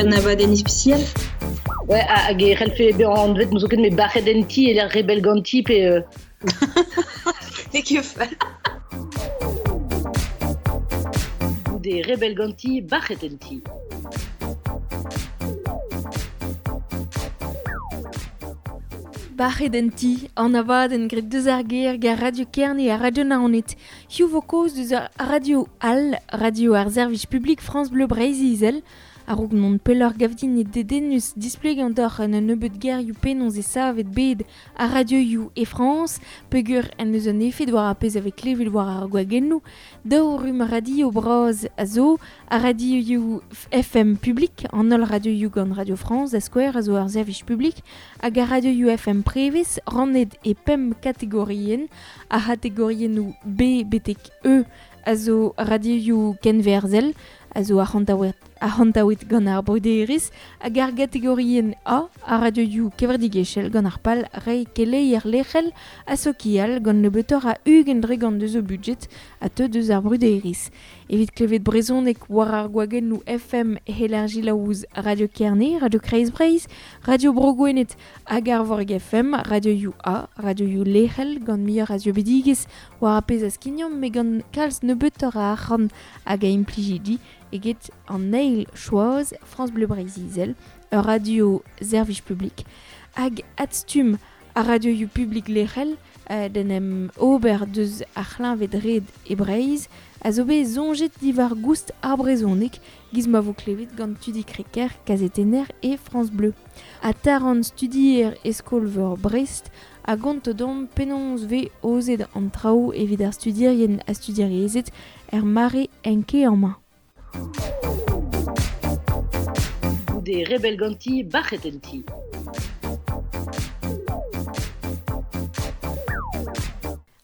un abadenn ispisial. Ouais, hag e c'hellfe bezañ anvet n'ouzon ket met bac'het en ti e lec'h rebell ganti pe... N'eo ket fall. Goude rebell ganti, bac'het en ti. Bac'het en ti, an abadenn graet deus ar gêr gant Radio Kerne ha Radio Naoned. Hiziv vo kaoz deus ar radio all, radio ar servij publik France Bleu Breizh-Izel. A-raok mont pelloc'h gav din eo dedennus displegañ deoc'h en un nebeud gerioù penaos e savet bed ar radioioù e Frañs, peogwir en deus un efed war ar pezh a vez klevet war ar gwagennoù. Daou rumm radio bras a zo, ar radioioù FM publik, an holl radioioù gant Radio France da skouer a zo ur servij publik, hag ar radioioù FM prevez rannet e pemp kategorienn, ar c'hategoriennoù B betek E a zo radioioù kenwerzhel, a zo arc'hantaouet gant ar bruderezh hag ar gategorienn A a radioioù kevredigezhel gant ar pal reiñ keleier lec'hel ha sokial gant nebeutoc'h a 20% deus o budjed a teu deus ar bruderezh. Evit klevet brezhoneg war ar gwagennoù FM heller selaou Radio Kerne, Radio Kreiz Breizh, Radio Bro Gwened hag Arvorig FM, radioioù A, radioioù lec'hel gant muioc'h a zieubidigezh war ar pezh a skignomp met gant kalz nebeutoc'h a arc'hant hag a implijidi eget an eil choaz France Bleu Breizh-Izel, ur radio servij publik, hag adstumm ar radioioù publik lec'hel d'en em ober deus ar c'hleñved-red e Breizh a zo bet soñjet diwar goust ar brezhoneg giz ma vo klevet gant Tudi Crequer, kazetenner e France Bleu. Ha Taran studier e skol-veur Brest a gonto deomp penaos 'vez aozet an traoù evit ar studierien ha studierezed er mare enkaeañ-mañ. Goude rebell ganti, bac'het en ti.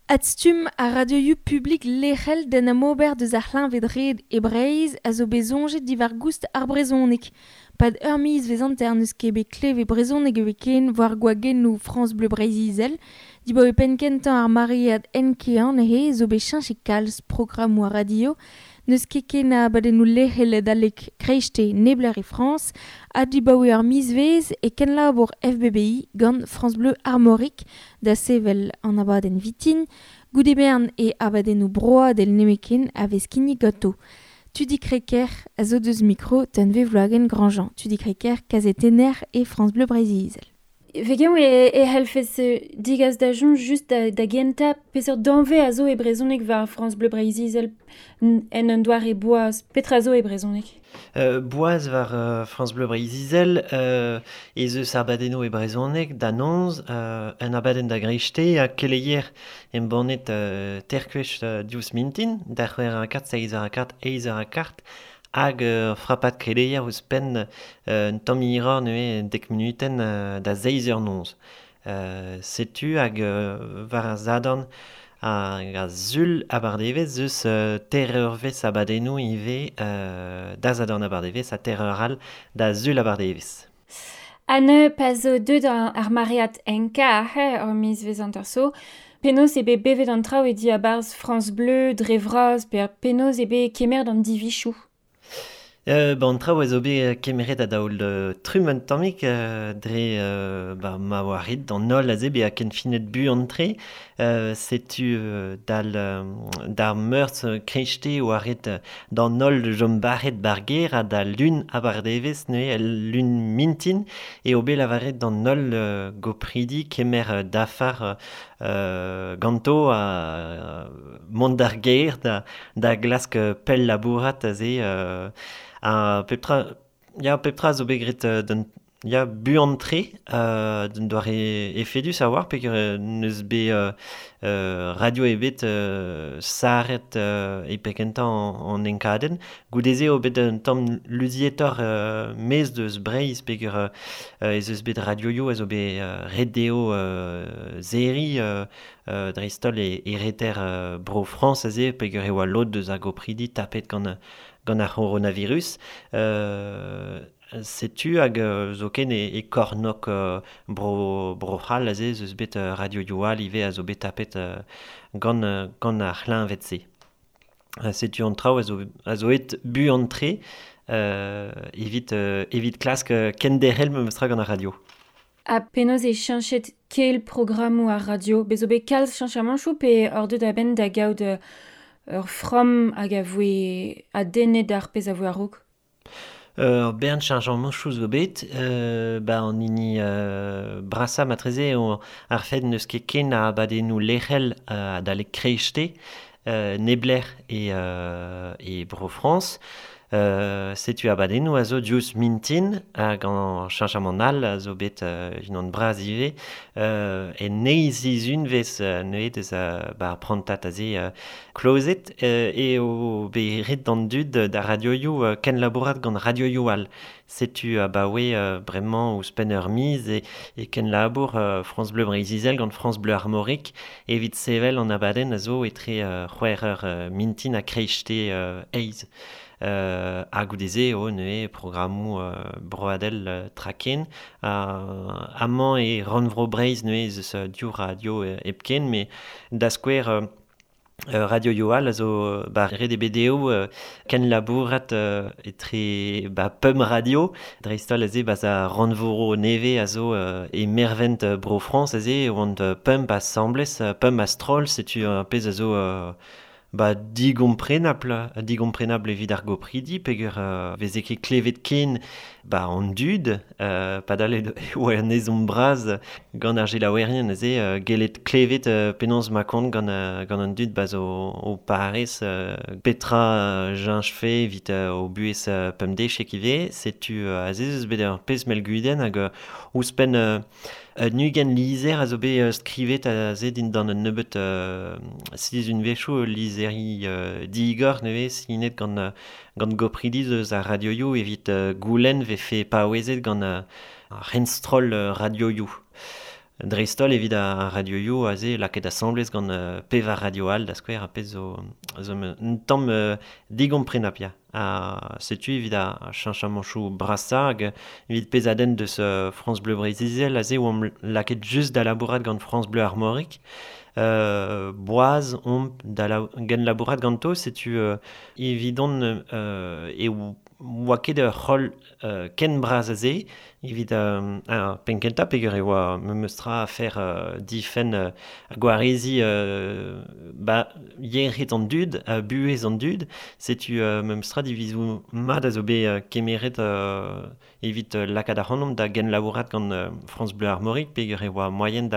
Adstumm ar radioioù publik lec'hel d'en em ober deus ar c'hleñved-red e Breizh a zo bet soñjet diwar-goust ar brezhoneg. Pad ur mizvezh hanter n'eus ket bet klevet brezhoneg ebet war gwagennoù France Bleu Breizh-Izel. Dibaoe penn-kentañ ar maread enkaeañ neuze zo bet cheñchet kalz programmoù ar radio. N'eus ket ken a abadennoù lec'hel adalek kreisteiz neblec'h e Frañs ha dibaoe ar mizvezh e kenlabour FBBI gant France Bleu Armorique da sevel an abadenn vitin. Goude bern e abadennoù broadel nemetken a vez kinnig ganto. Tudi Crequer a zo deus mikro Tunvezh Wloagen-Grandjean. Tudi Crequer, kazetenner e France Bleu Breizh-Izel. Vegen e, e c'hellfes digas da soñj just da, da gentañ peseurt danvez a zo e brezhoneg war France Bleu Breizh-Izel en un doare boaz. Petra zo e brezhoneg? Boaz war France Bleu Breizh-Izel ez eus abadennoù e brezhoneg da noz, un abadenn da greisteiz ha keleier embannet terkwech diouzh mintin, da c'hwec'h eur ha kart, seizh eur ha kart, eizh eur ha kart, hag ur frapad keleier ouzhpenn un tamm hiroc'h neuze dek munutenn da seizh eur noz. Setu hag war ar Sadorn hag ar Sul abardaevezh eus teir eurvezh abadennoù ivez da Sadorn abardaevezh ha teir eur all da Sul abardaevezh. Anne, pa zo deuet ar maread enkañ ur mizvezh hanter so, penaos eo bet bevet an traoù e diabarzh France Bleu dre vras pe penaos eo bet kemeret an divizoù? Ba an traoù a zo bet kemeret a-daol trumm un tammig dre ba ma oa ret d'an holl aze bezañ kenfinet buan-tre. Setu dal d'ar meurzh kreisteiz oa ret d'an holl chom bac'het ba'r gêr ha da lun abardaevezh neuze el lun mintin eo bet lavaret d'an holl gopridi kemer dafar ganto ha mont d'ar gêr da, da glask pell labourat aze ha pep tra ya pep tra zo bet graet d'un ya buan-tre d'un doare efedus a-walc'h peogwir n'eus bet radio ebet sarret e penn-kentañ an enkadenn. Goude-se eo bet un tamm luzietoc'h maez deus Breizh peogwir ez eus bet radioioù a zo bet ret dezho serriñ dreist-holl e reter Bro-Frañs aze peogwir e oa lod deus ar gopridi tapet gant gant ar c'horonavirus. Setu hag zoken e kornôg bro Bro-C'hall aze ez eus bet radioioù all ivez a zo bet tapet gant gant ar c'hleñved-se. Setu an traoù a zo a zo aet buan-tre Evit klask kenderc'hel memes tra gant ar radio. Ha penaos e cheñchet kel programmoù ar radio? Bez zo bet kalz cheñchamantoù pe hor deut a-benn da gaout ur framm hag a voe adennet ar pezh a voe a-raok? Ur bern cheñchamantoù zo bet, ba an hini brasañ matreze eo ar fed n'eus ket ken a abadennoù lec'hel adalek kreiste, neblec'h e Bro-Frañs. Setu abadennoù a zo diouzh mintin hag an cheñchamant all a zo bet unan bras ivez. En eizh sizhunvezh neuze deus ba ar prantad aze klozet eo bet ret d'an dud da radioioù kenlabourat gant radioioù all. Setu abaoe bremañ ouzhpenn ur miz e kenlabour France Bleu Breizh-Izel gant France Bleu Armorique evit sevel an abadenn a zo etre c'hwec'h eur mintin ha kreiste eizh. Ha goude-se eo neuze programmoù broadel traken. Amañ e Rannvro Breizh neuze ez eus div radio hepken, met da skouer radio yo all a zo ba ret eo bet dezho kenlabourat etre ba pemp radio, dreist-holl aze ba za rannvro nevez a zo e mervent Bro-Frañs aze oant pemp asambles, pemp a-stroll, setu ar pezh a zo ba digomprenabl evit ar gopridi, peger veze ket klevet ken ba an dud, padal e oa un ezhomm bras gant ar gelaouerien aze gellet klevet penaos ma kont gant an dud ba zo o parez petra jañchfe evit o buhez pemdechek ivez, setu aze eus bet ur pezh mell-gudenn hag ouzhpenn un ugent lizher a zo bet skrivet aze dindan un nebeut sizhunvezhioù lizheri digor nevez sinet gant gopridi eus ar radioioù evit goulenn vefe paouezet gant ar c'henstroll radioioù. Dreist-holl evit ar radioioù aze lakaet asambles gant pevar radio all da skouer ar pezh zo un tamm digomprenapl ya. Ha setu evit ar cheñchamantoù brasañ hag evit pezh a denn deus France Bleu Breizh-Izel aze oamp lakaet just da labourat gant France Bleu Armorique. Boaz omp da genlabourat ganto, setu evidon e oa ket ur c'holl ken bras aze evit ar penn-kentañ peogwir e oa memes tra afer difenn gwareziñ ba yec'hed an dud, buhez an dud, setu memes tra divizoù mat a zo bet kemeret evit lakaat ac'hanomp da genlabourat gant France Bleu Armorique peogwir e oa moaien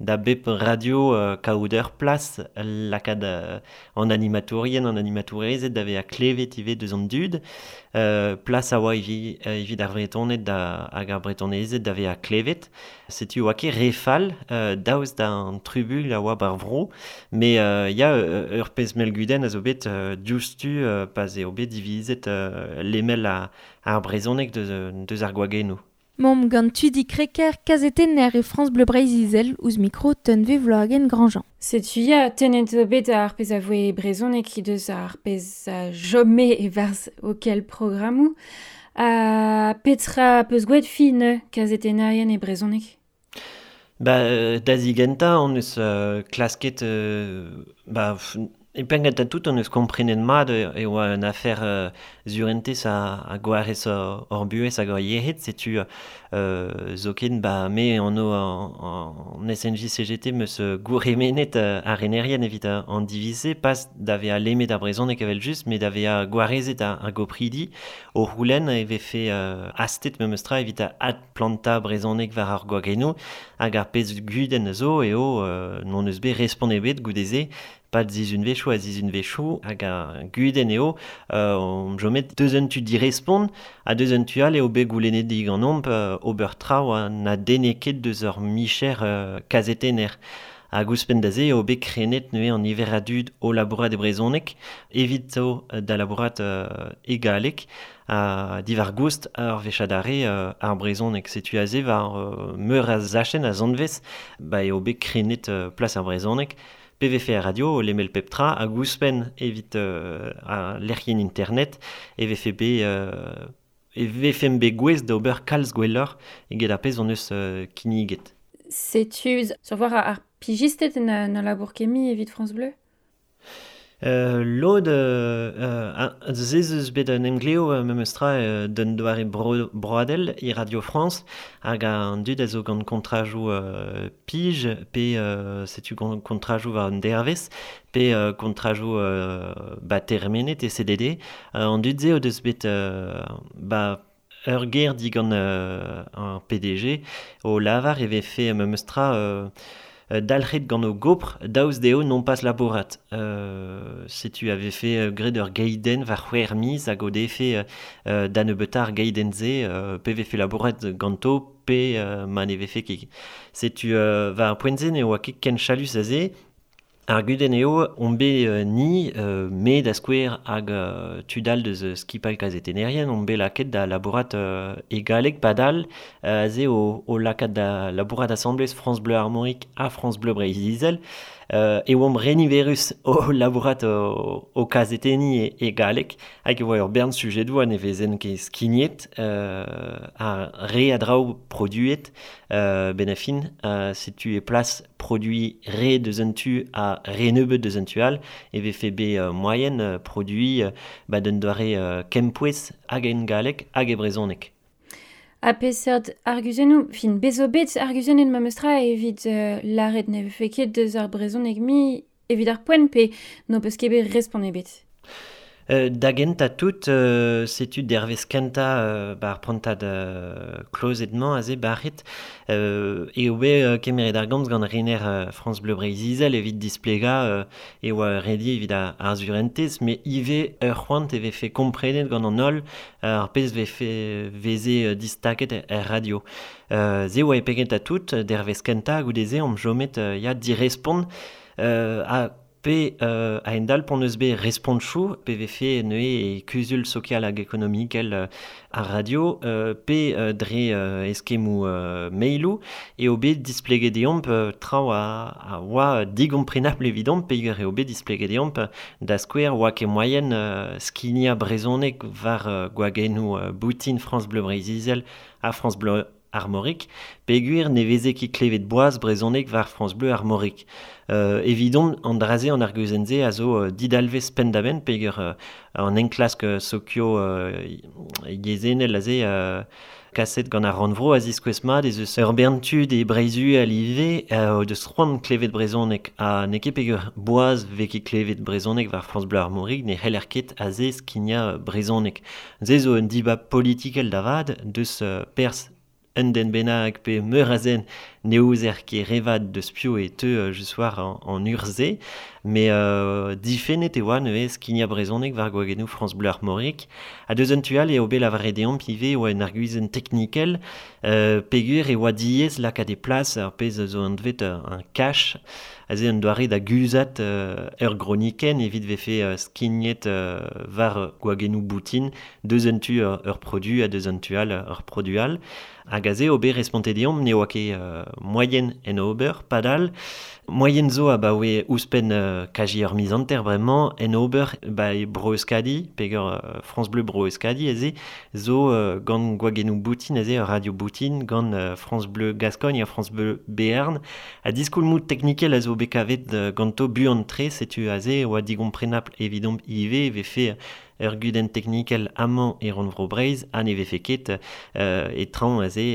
da bep radio kaout ur plas lakaat an animatourien, an animatourezed da vezañ klevet ivez deus an dud. Plas a oa evit ar Vretoned hag ar Bretonezed da vezañ klevet. Setu oa ket re fall daoust d'an trubul a oa bar vro, met ya ur pezh mell-gudenn a zo bet diouzhtu pa'z eo bet divizet lemel ar brezhoneg deus ar gwagennoù. Mom gant Tudi Kreker, kazetenner e France Bleu Breizh-Izel ouzh mikro Tunve Vloagen Grandjean. Setu ya, tennet zo bet ar pezh a voe brezhoneg deus ar pezh a chome e-barzh okel programmoù. Ha petra peus gwet fin kazetennerien e brezhoneg? Ba da zigentañ on eus klasket ba E penn-kentañ tout on eus komprenet mat e oa un afer surentez a gwarez hor buhez hag hor yec'hed, setu zoken ba me anv an SNJ-CGT meus gourc'hemennet ar renerien evit an diviz-se, pas da vezañ lemmet ar brezhoneg evel-just, met da vezañ gwarezet ar gopridi o c'houlenn e vefe hastet memes tra evit adplantañ brezhoneg war ar gwagennoù hag ar pezh gudenn zo eo n'hon eus bet respont ebet goude-se, pad sizhunvezhioù ha sizhunvezhioù hag ar gudenn eo on jomet deus un tu direspont ha deus un tu all eo bet goulennet diganeomp ober traoù ha na denne ket deus ur micher kazetenner. Hag ouzhpenn da se eo bet krenet neuze an niver a dud o labourat e brezhoneg evit zo da labourat e galleg ha diwar goust ar wech adarre ar brezhoneg. Setu aze war meur a zachenn a zanvez ba eo bet krenet plas ar brezhoneg. PVF radio, lemel pep tra, hag ouzhpenn evit ar lec'hienn internet, e vefe bet e vefemp bet gouest da ober kalz gwelloc'h eget ar pezh hon eus kinniget. Setu, sur voir ar pijisted na labour kemi evit France Bleu? Lod, zez eus bet un emgleo memes tra d'un doare broadel e Radio France hag an dud a zo gant kontrajou pij pe setu gant kontrajou war un dervez pe kontrajou ba termenet e CDD an dud ze o deus bet ba ur ger digant un PDG o lavar e vefe memes tra dalc'het gant o gopr daoust dezho non pas labourat. Setu a vefe graet ur geidenn war c'hwec'h miz hag o defe da nebeutañ ar geidenn-se pe vefe labourat ganto pe ma ne vefe ket. Setu war ar poent-se ne oa ket ken chalus aze. Ar gudenn eo on bet ni, me da skouer hag tud all deus skipal kazetennerien, on bet lakaet da labourat e galleg padal, aze o lakaat da labourat asamblez France Bleu Armorique ha France Bleu Breizh-Izel, e oamp reniverus o labourat o kazetenni e galleg, hag e oa ur bern sujedoù a ne vezen ket skignet, a re a draoù produet, ben a fin, setu e plas produit re deus un tu a re nebeut deus un tu all, e vefe bet moyen produit ba d'un doare kempouez hag en galleg hag e brezhoneg. Ha peseurt arguzennoù, fin bezo bet arguzennet ma meus tra evit lâret ne vefe ket deus ar brezhoneg mi evit ar poent pe n'ho peus ket bet respont ebet. Da gentañ tout, setu dervez kentañ ba ar prantad klozet-mañ aze barret, eo bet kemeret ar gomz gant rener France Bleu Breizh-Izel evit displegañ e oa redi evit ar surentez, met ivez ur c'hoant e vefe komprenet gant an holl ar pezh vefe veze distaket er radio. Ze oa e pegentañ tout, dervez kentañ goude-se omp chomet ya direspont a pe a endal pon eus bet respontchou, pe vefe neue e kuzul sokial hag ekonomikel ar radio, pe dre eskemmoù mailoù, eo bet displeget deomp traoù a oa digomprenabl evidomp, peogwir eo bet displeget deomp da skouer oa ket moaien skignañ brezhoneg war gwagennoù boutin France Bleu Breizh-Izel ha France Bleu Armorique, peogwir ne veze ket klevet boaz brezhoneg war France Bleu Armorique. Evidon, an draze an arguzenn-se a zo didalvez penn-da-benn, peogwir an enklask sokio yezhennel aze kaset gant ar rannvro a ziskouez mat ez eus ur bern tud e Breizh-Uhel ivez o deus c'hoant klevet brezhoneg ha n'eo ket peogwir boaz vez ket klevet brezhoneg war France Bleu Armorique ne c'heller ket aze skignañ brezhoneg. Se zo un dibab politikel da vat deus perzh un den bennak pe meur a zen ne ouzer ket revat deus piv e teu just war an urzh-se, met difennet e oa neuze skignañ brezhoneg war gwagennoù France Bleu Armorique. Ha deus un tu all eo bet lavaret deomp ivez oa un arguzenn teknikel, peogwir e oa diaes lakaat e plas ar pezh zo anvet un cache, aze un doare da guzhat ur gronikenn evit vefe skignet war gwagennoù boutin deus un tu ur produ ha deus un tu all ur produ all. Hag aze eo bet respontet deomp ne oa ket moaien en ober, padal. Moaien zo abaoe ouzhpenn kaji ur miz hanter bremañ en ober ba e Bro-Euskadi, peogwir France Bleu Bro-Euskadi aze zo gant gwagennoù boutin aze ur radio boutin gant France Bleu Gascogne ha France Bleu Béarn. Ha diskoulmoù teknikel a zo bet kavet ganto buan-tre, setu aze oa digomprenapl evidomp ivez e vefe ur gudenn teknikel amañ e rannvro Breizh ha ne vefe ket e traoñ aze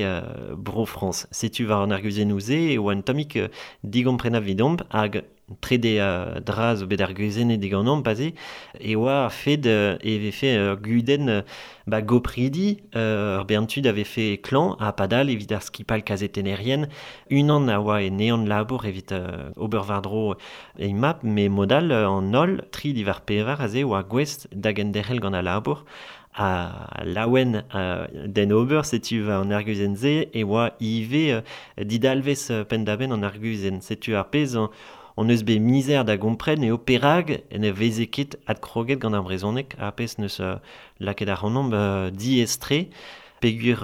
Bro-Frañs. Setu war an arguzennoù-se e oa un tammig digomprenapl evidomp hag trede dra zo bet arguzennet diganeomp aze e oa ar fed e vefe ur gudenn ba gopridi ur bern tud a vefe klañv ha padal evit ar skipal kazetennerien unan a oa e neant labour evit ober war-dro e map met modal an holl tri diwar pevar aze oa gouest da genderc'hel gant al labour a laouen d'en ober, setu an arguzenn-se e oa ivez didalvez penn-da-benn an arguzenn. Setu ar pezh on eus bet mizer da gompren eo perak ne veze ket adkroget gant ar brezhoneg ar pezh neus lakaet ac'hanomp diaes-tre peogwir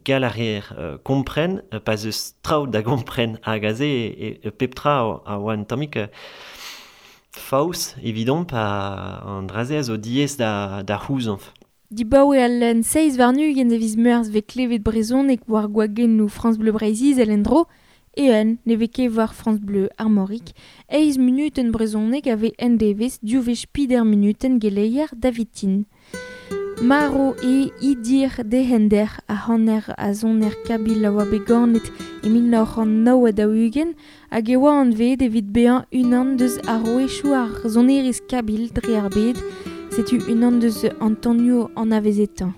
gall a reer kompren pa 'z eus traoù da gompren hag aze e pep tra a oa un tammig faos evidomp an dra-se a zo diaes da c'houzañv. Dibaoe al un 27 e viz Meurzh vez klevet brezhoneg war gwagennoù France Bleu Breizh-Izel en-dro. eeun ne vez ket war France Bleu Armorique, eiz minuten brezhoneg a vez en-devez div wech peder minuten geleier Davitin. Maro e Idir Dehender a hanner a zoner kabil a oa bet ganet e 1949 hag e oa anvet evit bezañ unan deus ar rouechoù ar sonerezh kabil dre ar bed, setu unan deus an tonioù anavezetañ.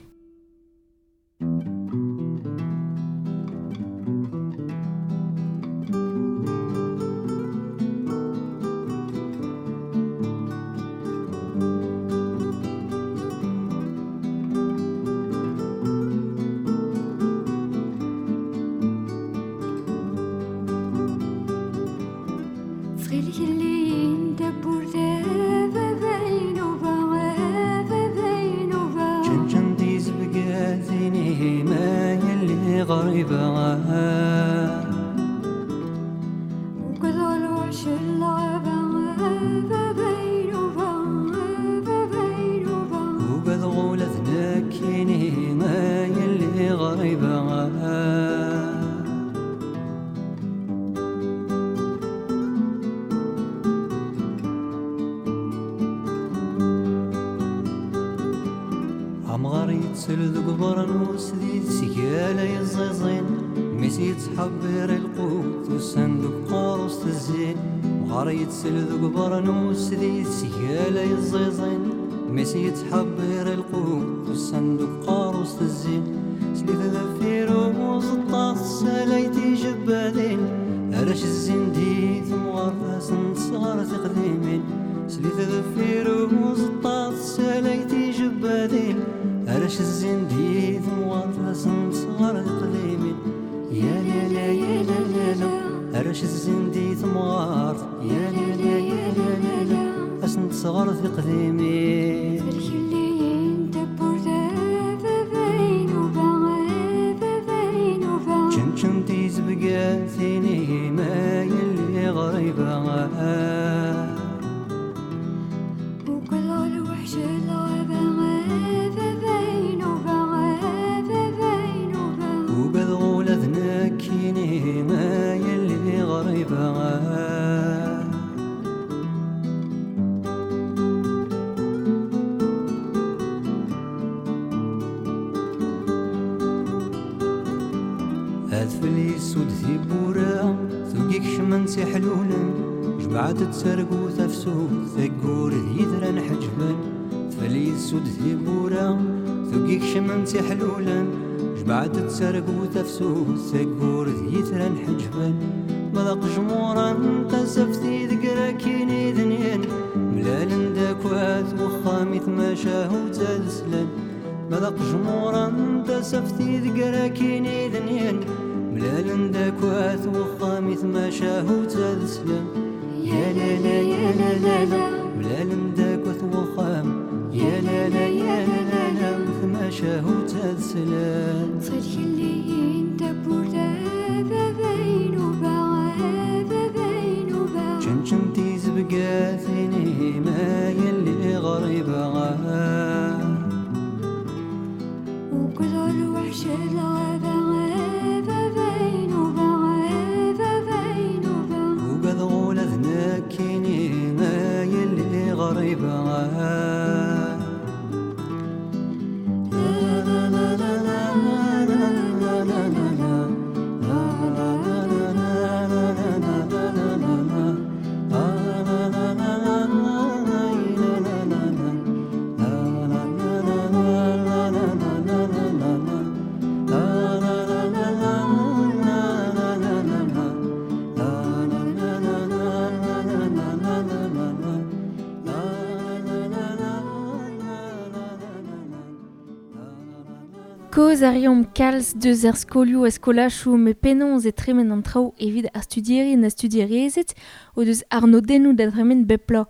Koz a reomp kalz deus ar skolioù a skolachoù me penaos e tremen an traoù evit ar studierien ha studierezed o deus arnodennoù da dremen bep bloaz.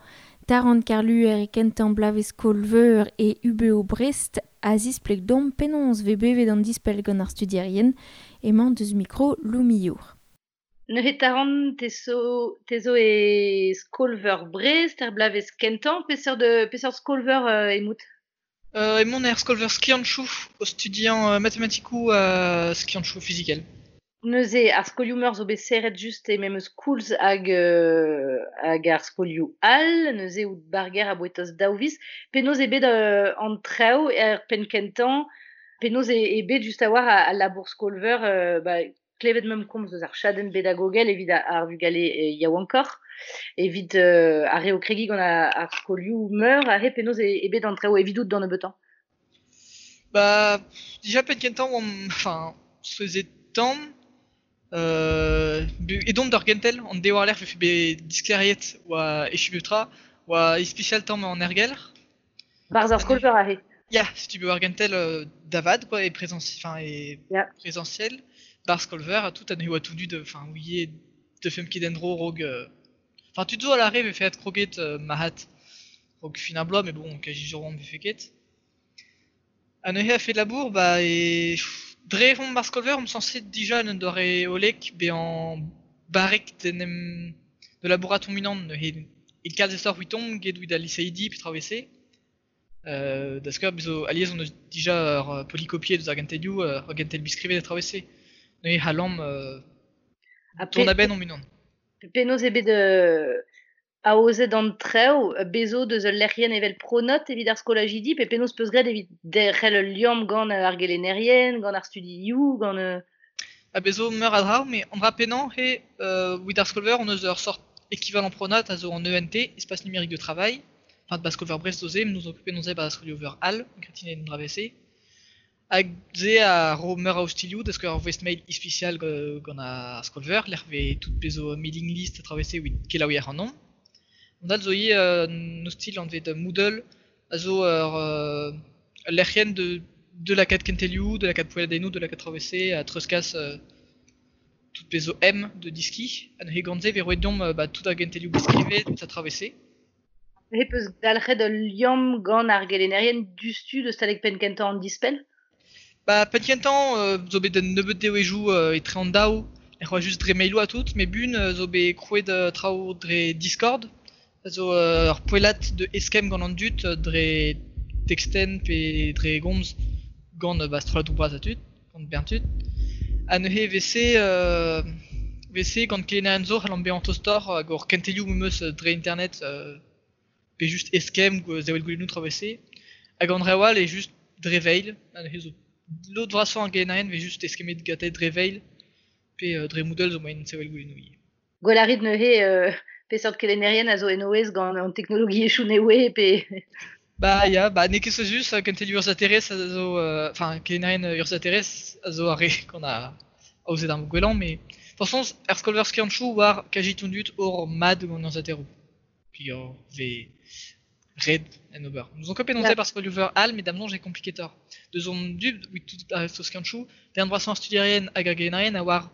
Taran Karluer e kentañ bloavezh skol-veur e UBO Brest a zispleg domp penaos vez bevet an dispell gant ar studierien emañ deus mikro Lou Millour. Neuze Taran, te zo e skol-veur Brest, er bloavezh kentañ, peseurt skol-veur emout? Emaon er skol-veur skianchoù o studiañ matematikoù ha skianchoù fizikel. Neuze, ar skolioù meur zo bet serret just e memes koulz hag, hag ar skolioù all, neuze out barger a bouetos daou viz. Penaos eo bet an traoù er penn kentañ, penaos eo bet just a-walc'h al labour skol-veur, ba, klevet meump komz eus ar chadenn bedagogel evit ar vugale yaouankoc'h, evit ar re o kregiñ gant ar skolioù meur, aze penaos eo bet an traoù evidout d'an nebeutañ? Ba, dija penn kentañ oamp, enfin, souezhet tamm, edont d'ur gentel, an dev war-lerc'h vefe bet disklêriet oa echu pep tra, oa ispisial tamm an aergelc'h. Barzh ar skol-veur aze. Ya, setu bet war gentel da vat quoi, e enfin, e Ya. présentiel, bar skol-veur ha tout, ha neuze oa tout dud, enfin, ouie deufemp ket en-dro raok... Enfin, tud zo a lâre vefe adkroget mahat raok fin ar bloaz, mais bon, kazi sur oamp vefe ket. Ha neuze a-fet labour, ba e... Dre vont bar skol-veur omp sañset dija en un doare hollek bezañ barrek d'en em de labourat hon unan neuze e kalz istor 'vitomp get evit al liseidi pe traoù e-se. Da skouer bez zo alies hon eus dija ur polycopier deus ar gentelioù, ur gentel biskrivet ha traoù e-se. Neuze c'hallomp Ha dont a-benn hon unan. Penaos eo bet aozet an traoù, bezo deus ul lec'hienn evel Pronote evit ar skolajidi, pe penaos peus graet evit derc'hel ul liamm gant ar gelennerien, gant ar studioù, gant... Ha bez zo meur a dra, met an dra pennañ eo evit ar skol-veur hon eus ur sort équivalent Pronote a zo an ENT, Espace Numérique de Travail, enfin ba skol-veur Brest zo se, nous occuper nous ba skolioù-veur all, gretine en dra se. Hag se a ro meur a ostilhoù, da skouer ur voest-mail ispisial gant ar skol-veur, lec'h vez tout pezh zo mailing list a traoù se evit kelaouiñ ac'hanomp. An all zo ivez un ostilh anvet Moodle, a zo ur lec'hienn de lakaat kentelioù, de lakaat poelladennoù, de lakaat traoù se, a treuzkas tout pezh zo M de diski. Ha neuze gant se vez roet deomp ba, tout ar gentelioù beskrivet, tout a traoù se. He peus dalc'het ul liamm gant ar gelennerien dustu deus talek penn kentañ an dispell? Ba, penn kentañ zo bet un nebeud devezhioù etre an daou, ec'h oa just dre mailoù ha tout, met bun zo bet krouet traoù dre Discord, a zo ur poellad de eskemm gant an dud dre textenn pe dre gomz gant ba, strolladoù bras ha tud, gant bern tud. Ha neuze vese gant kelennerien zo c'hallomp bezañ tostoc'h hag hor kentelioù memes dre internet pe just eskemm sevel goulennoù traoù e-se. Hag an reoù all eo just dre veil, ha neuze zo lod vrasañ ar gelennerien vez just eskemmet gante dre veil pe dre Moodle zo moaien sevel goulennoù ivez. Gwell a rit neuze peseurt kelennerien a zo en o aez gant an teknologiezhioù nevez pe... Ba ya, ba n'eo ket souezhus, kentelioù urzhiataerezh a zo... Enfin, kelennerien urzhiataerezh a zo ar re gant ar aozet ar gwellañ, met forzh er skol-veur skiantoù war kazi tout dud hor mat gant urzhiataeroù. Puis hor vez ret en ober. Nous on ket penaos Ya. eo ar skolioù-veur all, met da'm soñj eo kompliketoc'h. Deus hon dud, evit tout ar resto skiantoù, darn vrasañ ar studierien hag ar gelennerien a oar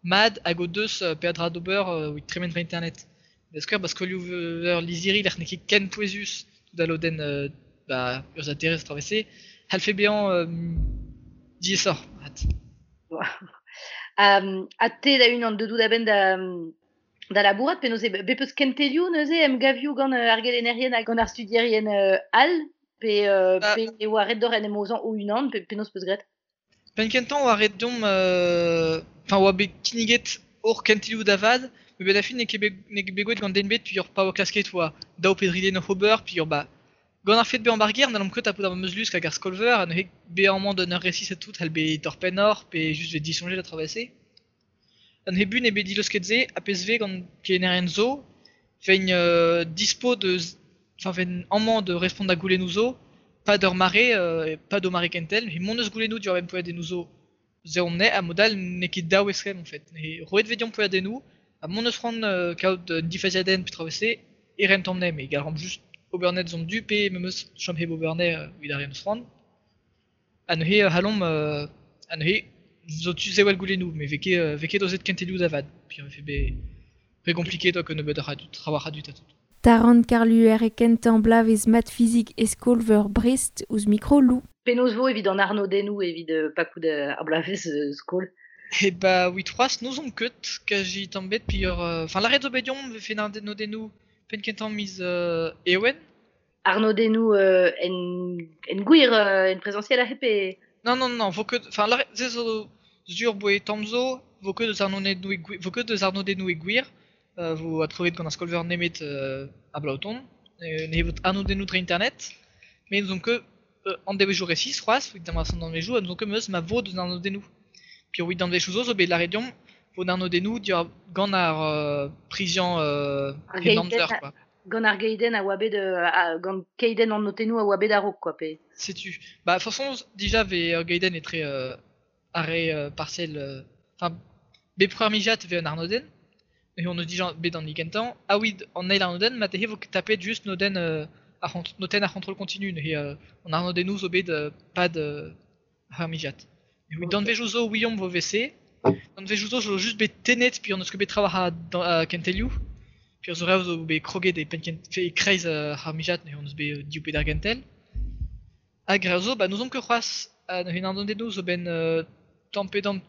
mat hag o deus peadra d'ober evit tremen dre internet. Da skouer, ba skolioù-veur lizhiri lec'h n'eo ket ken pouezus tout al lodenn ba urzhiataerezh traoù e-se, c'hallfe bezañ diaesoc'h mat. Ha te da-unan deut out a-benn da labourat penaos eo bet peus kentelioù neuze emgavioù gant ar gelennerien hag gant ar studierien all pe Ba, pe e oa ret d'ober en em aozañ o-unan pe penaos peus graet? Penn kentañ oa ret deomp enfin oa bet kinniget hor kentelioù da vat, met benn ar fin n'eo ket bet n'eo ket bet gwelet gant den bet puis ur pa oa klasket oa daou pe dri den oc'h ober puis ur ba gant ar fet bezañ ba'r gêr n'hallomp ket tapout ar memes lusk hag ar skol-veur ha neuze bezañ amañ d'un eur resis ha tout c'hall bet torr-pennoc'h pe just vet disoñjet ha traoù e-se. An hebun eo bet dileusket se ha pezh vez gant kelennerien zo, vein dispo deus enfin vein amañ de respont da goulennoù zo, pas d'ur mare, pas d'o mare kentel, met mont eus goulennoù diwar-benn poelladennoù zo se on eo ha mod all n'eo ket daou eskemm en fait. Ne roet vez deomp poelladennoù ha mont eus c'hoant kaout un difaziadenn pe traoù e-se e rentomp anezhe, met gallamp just ober net zomp du pe memes chom hep ober anezhe evit ar re eus c'hoant. Ha neuze c'hallomp ha neuze zo tu sevel goulennoù, met vez ket aozet kentelioù da vat. Puis vefe bet re compliqué donc nebeut a dud, trawalc'h a dud ha tout. Taran Karluer e kentañ bloavezh mat fizik e skol-veur Brest ouzh mikro Lou. Penaos vo evit an arnodennoù evit pakout ar bloavezh skol? E ba evit c'hoazh n'ouzomp ket kazi tamm bet puis ur enfin lâret zo bet deomp vefe an arnodennoù penn kentañ miz Ewen. Arnodennoù en gwir en présentiel aze pe... Non, non, non, vo ket... Enfin, lâret se zo zur boe tamm zo, vo ket deus arnodennoù vo ket deus arnodennoù e gwir, vo adkroget gant ar skolveur nemet a blaoton, ne vo arnodennoù dre internet, met n'ouzon ket an devezhioù resis c'hoazh, evit an danvezioù, ha n'ouzon ket meus ma vo deus arnodennoù. Puis evit danvezioù zo zo bet lâret deomp vo arnodennoù gant ar priziañ en amzer quoi. Gant ar geiden a oa bet gant keiden an notennoù a oa bet a-raok quoi pe. Setu. Bah façon déjà ve ur geiden etre arre parcelle enfin bet preur mijat ve un arnodenn et on eus dija bet an igentañ a oui an eil arnodenn ma te vo tapet just nodenn ar notenn ar contrôle continu ne an arnodennoù zo bet pad ar mijat. Et oui danvezioù zo ouiomp vo VC. Danvezioù zo zo just bet tenet puis on eus ket bet traoù a kentelioù. Puis zo rev zo bet kroget e penn e kreiz ar mijat ne on eus bet div bet ar gentel. Hag rev zo ba n'ouzomp ket c'hoazh ne arnodennoù zo ben tamm pe damm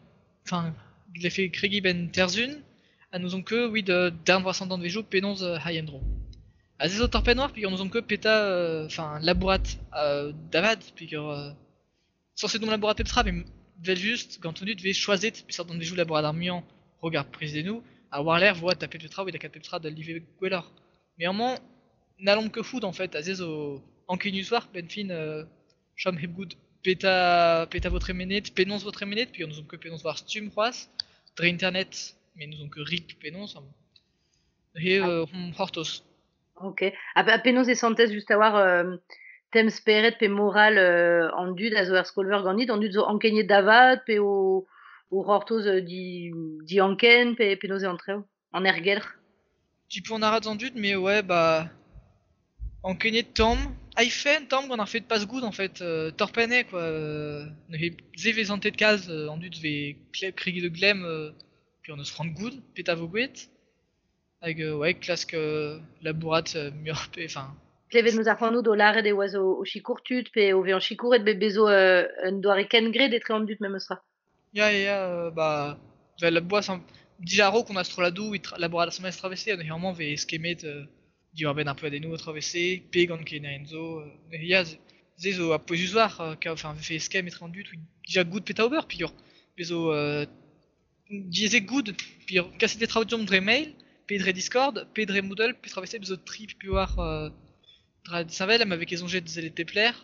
enfin glefe kregi ben terzun ha n'ouzomp ket oui de darn vrasañ danvezioù penaos hay en-dro. Ha se zo torpenn war peogwir n'ouzomp ket peta enfin labourat davad peogwir sañset domp labourat pep tra met vel just gant on dud vez choazet peseurt danvezioù labourat ar muiañ rog ar prizennoù ha war-lerc'h vo tapet pep tra evit lakaat pep tra da live gwelloc'h. Mais amañ n'hallomp ket fout en fait ha se zo ankenius war benn fin chom hep goût peta vo tremenet, penaos vo tremenet, peogwir n'ouzomp ket penaos war stumm c'hoazh, dre internet, met n'ouzomp ket rik penaos. He hon c'hortoz. Ok. Ha penaos e santez just a war tem speret pe moral an dud a zo er skolveur ganit, an dud zo ankeniet davad pe o c'hortoz di anken pe penaos e antrev, an ergelc'h. Ti an arad an dud, mais ouais, bah ankeniet tamm, aifen tamm gant ar fet pas goût en fait, torpenne quoi, ne ze vez an tet kalz an dud ve kregi de glem puis on eus c'hoant goût, peta vo gwet. Hag ouais, klask labourat muioc'h pe enfin Klevet meus ar c'hanoù do lâret e oa zo o sikour tud pe o vezañ sikouret bet bezo un doare kengred etre an dud memes tra. Ya, bah vel la boas dija a-raok on a strolladoù e labourat asambles travese, neuze amañ vez eskemet diwar benn ar poadennoù travese, pe gant kenerien zo, ya, se zo a pouezus war, enfin vefe eskemm etre an dud, dija goût peta ober, peogwir bezo diaezet goût, peogwir kaset e traoù deomp dre mail, pe dre Discord, pe dre Moodle, pe travese bezo tri pe war dra disheñvel, ma vez ket soñjet sellet pep lec'h,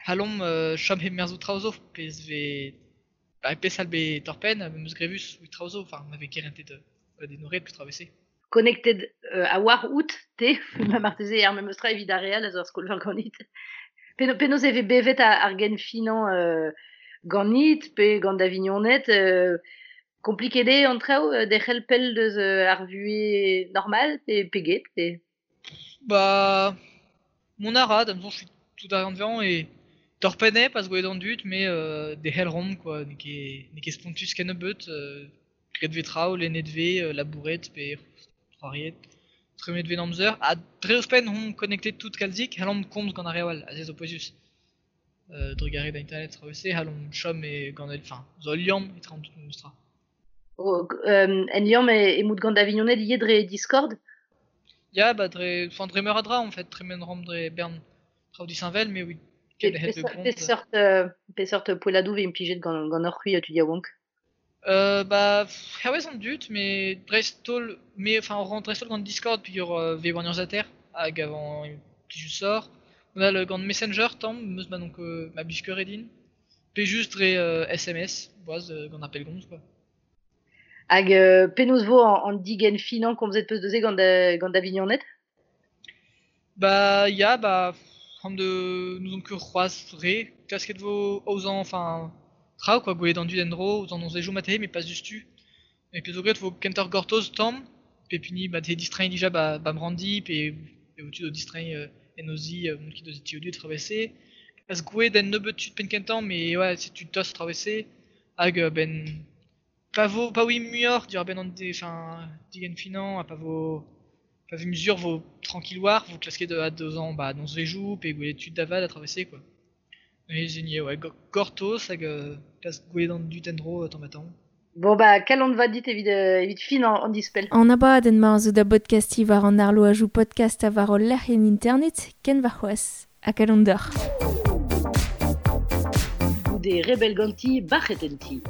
hallomp chom hep merzout traoù zo, pezh vez ba pezh all bet torpenn, meus grevus ou traoù zo, enfin ma vez ket rentet de pe travese. Connected a war out te, ma marteze ar memes tra evit ar real a zo ar skolveur ganit. Penaos e vez bevet ar gen finañ ganit pe gant da vignoned, kompliket eo an traoù derc'hel pell deus ar vuhez normal pe get pe... Bah mon arad, am soñj tout ar anvezañ e torpenne pas gwelet an dud, mais derc'hel rom quoi, n'eo ket spontus kennebeut, graet vez traoù, lennet vez, labouret pe c'hoariet, tremenet vez amzer, ha dre ouzhpenn hon connectet tout kalzik, hallomp komz gant ar re all, ha se zo pouezus. Drugarez da internet travese, hallomp chom e gant el, enfin, zo liamm etre an tout memes tra. En liamm e mout gant da vignoned ivez dre Discord? Ya, bah dre, enfin dre meur a dra en fait, tremen rom dre bern traoù disheñvel, mais oui. Peseurt poelladoù vez implijet gant ur c'hwi tu yaouank? Bah, hervez an dud, mais dreist-holl, mais enfin on rentre dreist-holl gant Discord peogwir vez war urzhiataer hag avant plijus sort. On a le gant Messenger tamm, meus ma donc ma blij ket din. Pe just dre SMS, boaz gant ar pellgomz quoi. Hag penaos vo an digen finañ komzet peus deus gant da vignoned? Bah ya, bah an de n'ouzon ket c'hoazh re, klasket vo aozañ, enfin traoù quoi, gwelet an dud en-dro, ouzh an onzezioù mateze, mais pas dustu. Et puis zo graet vo kentoc'h gortoz tamm, pe pini ba te distreiñ dija ba brandi, pe vo tu do distreiñ en o zi, mont ket deus ti o dud travese. Pas gwelet en nebeut tud penn kentañ, mais ouais, c'est tud tost travese. Hag ben pa vo pa oui muioc'h diwar benn an enfin digen finañ, ha pa vo pa vo mesure vo tranquille war, vo klasket a 2 ans ba nozvezioù, pe gwelet tud davad a travese quoi. Et zenier, ouais, gortoz hag klask gwelet an dud en-dro tamm ha tamm. Bon bah kalon va dit evit fin an dispel. An abadenn ma zo da podcasti war an arlo a jou podcast a war ol lec'h en internet, ken war c'hoazh, ha kalon d'or. Goude rebel ganti, bac'het en ti.